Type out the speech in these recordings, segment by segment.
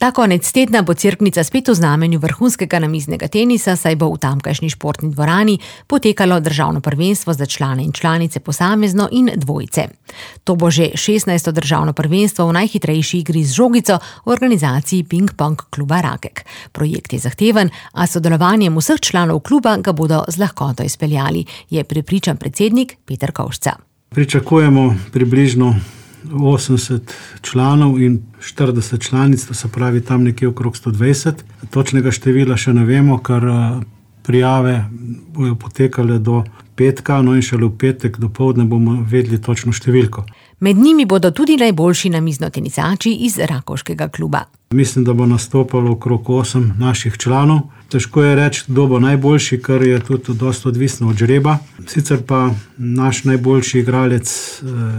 Ta konec tedna bo Cerknica spet v znamenju vrhunskega namiznega tenisa, saj bo v tamkajšnji športni dvorani potekalo državno prvenstvo za člane in članice posamezno in dvojce. To bo že 16. državno prvenstvo v najhitrejši igri z žogico v organizaciji Ping-pong kluba Rakek. Projekt je zahteven, a sodelovanjem vseh članov kluba ga bodo z lahkoto izpeljali, je prepričan predsednik Peter Kovšca. Pričakujemo približno 80 članov in 40 članic, to se pravi tam nekje okrog 120. Točnega števila še ne vemo, ker prijave bojo potekale do petka, no in šele v petek dopoldne bomo vedeli točno številko. Med njimi bodo tudi najboljši namiznotenisači iz rakovškega kluba. Mislim, da bo nastopalo okrog 8 naših članov. Težko je reči, kdo bo najboljši, ker je tudi dosti odvisno od žreba. Sicer pa naš najboljši igralec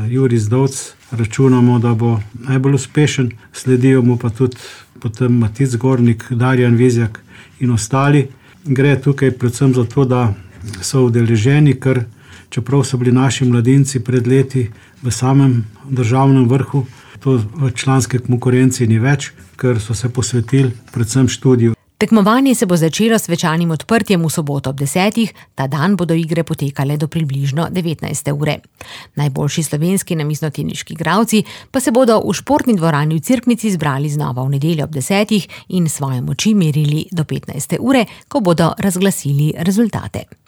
Jurij Zdovc računamo, da bo najbolj uspešen. Sledijo mu pa tudi potem Matic Gornik, Darjan Vizjak in ostali. Gre tukaj predvsem za to, da so udeleženi, ker čeprav so bili naši mladinci pred leti v samem državnem vrhu, to v članske konkurenci ni več, ker so se posvetili predvsem študiju. Tekmovanje se bo začelo s svečanim odprtjem v soboto ob 10. Ta dan bodo igre potekale do približno 19. ure. Najboljši slovenski namiznoteniški igralci pa se bodo v športni dvorani v Cerknici zbrali znova v nedeljo ob 10. in svoje moči merili do 15. ure, ko bodo razglasili rezultate.